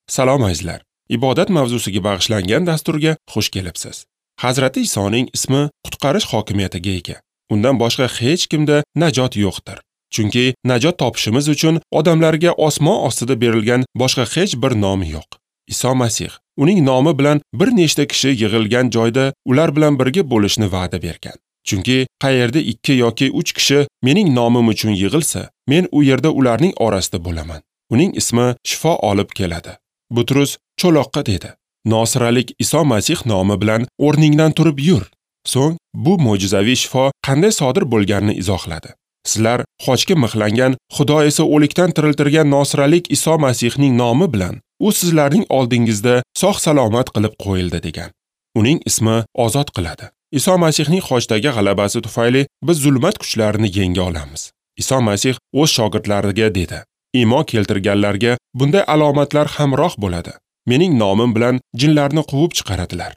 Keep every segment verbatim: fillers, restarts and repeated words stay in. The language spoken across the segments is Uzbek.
Salom azizlar. Ibodat mavzusiga bag'ishlangan dasturga xush kelibsiz. Hazrati Isoning ismi qutqarish hokimiyatiga ega. Undan boshqa hech kimda najot yo'qdir. Chunki najot topishimiz uchun odamlarga osmon ostida berilgan boshqa hech bir nom yo'q. Iso Masih uning nomi bilan bir nechta kishi yig'ilgan joyda ular bilan birga bo'lishni va'da bergan. Chunki qayerda ikki yoki uch kishi mening nomim uchun yig'ilsa, men u yerda ularning orasida bo'laman. Uning ismi shifo olib keladi. Butrus cho'loqqa dedi: Nosiralik Iso Masih nomi bilan o'rningdan turib yur. So'ng bu mo'jizaviy shifo qanday sodir bo'lganini izohladi. Sizlar xochga mixlangan, Xudo esa o'likdan tiriltirgan Nosiralik Iso Masihning nomi bilan u sizlarning oldingizda sog' salomat qilib qo'yildi degan. Uning ismi ozod qiladi. Iso Masihning xochdagi g'alabasi tufayli biz zulmat kuchlarini yenga olamiz. Iso Masih o'z shogirdlariga dedi: Iymon keltirganlarga bunday alomatlar hamroh bo'ladi. Mening nomim bilan jinlarni quvib chiqaradilar.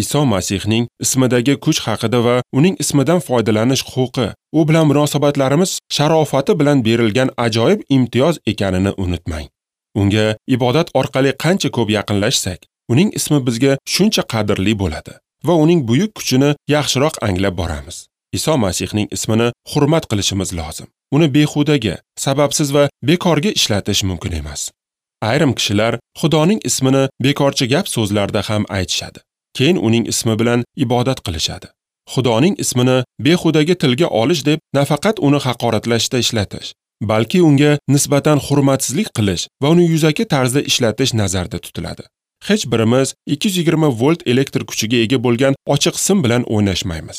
Iso Masihning ismidagi kuch haqida va uning ismidan foydalanish huquqi, u bilan munosabatlarimiz sharofati bilan berilgan ajoyib imtiyoz ekanini unutmang. Unga ibodat orqali qancha ko'p yaqinlashsak, uning ismi bizga shuncha qadrli bo'ladi va uning buyuk kuchini yaxshiroq anglab boramiz. Iso Masihning ismini hurmat qilishimiz lozim. Uni behudaga, sababsiz va bekorga ishlatish mumkin emas. Ayrim kishilar Xudoning ismini bekorchi gap so'zlarda ham aytishadi. Keyin uning ismi bilan ibodat qilishadi. Xudoning ismini behudaga tilga olish deb nafaqat uni haqoratlashda ishlatish, balki unga nisbatan hurmatsizlik qilish va uni yuzaki tarzda ishlatish nazarda tutiladi. Hech birimiz ikki yuz yigirma volt elektr kuchiga ega bo'lgan ochiq sim bilan o'ynashmaymiz.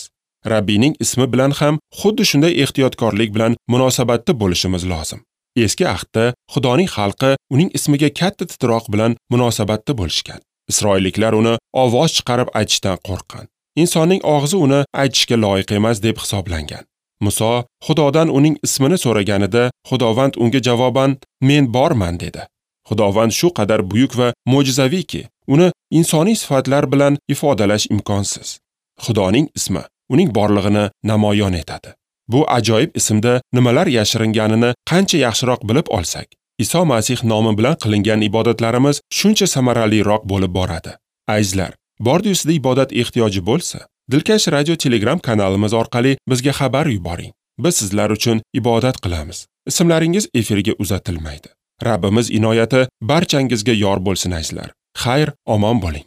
Rabbiyning ismi bilan ham xuddi shunday ehtiyotkorlik bilan munosabatda bo'lishimiz lozim. Eski ahdda Xudoning xalqi uning ismiga katta titroq bilan munosabatda bo'lishgan. Isroilliklar uni ovoz chiqarib aytishdan qo'rqqan. Insonning og'zi uni aytishga loyiq emas deb hisoblangan. Muso Xudodan uning ismini so'raganida Xudovand unga javoban "Men borman" dedi. Xudovand shu qadar buyuk va mo'jizaviyki, uni insoniy sifatlar bilan ifodalash imkonsiz. Xudoning ismi uning borlig'ini namoyon etadi. Bu ajoyib ismda nimalar yashiringanini qancha yaxshiroq bilib olsak, Iso Masih nomi bilan qilingan ibodatlarimiz shuncha samaraliroq bo'lib boradi. Azizlar, bordi-yu sizda ibodat ehtiyoji bo'lsa, Dilkash Radio Telegram kanalimiz orqali bizga xabar yuboring. Biz sizlar uchun ibodat qilamiz. Ismlaringiz efirga uzatilmaydi. Rabbimiz inoyati barchangizga yor bo'lsin azizlar. Xayr, omon bo'ling.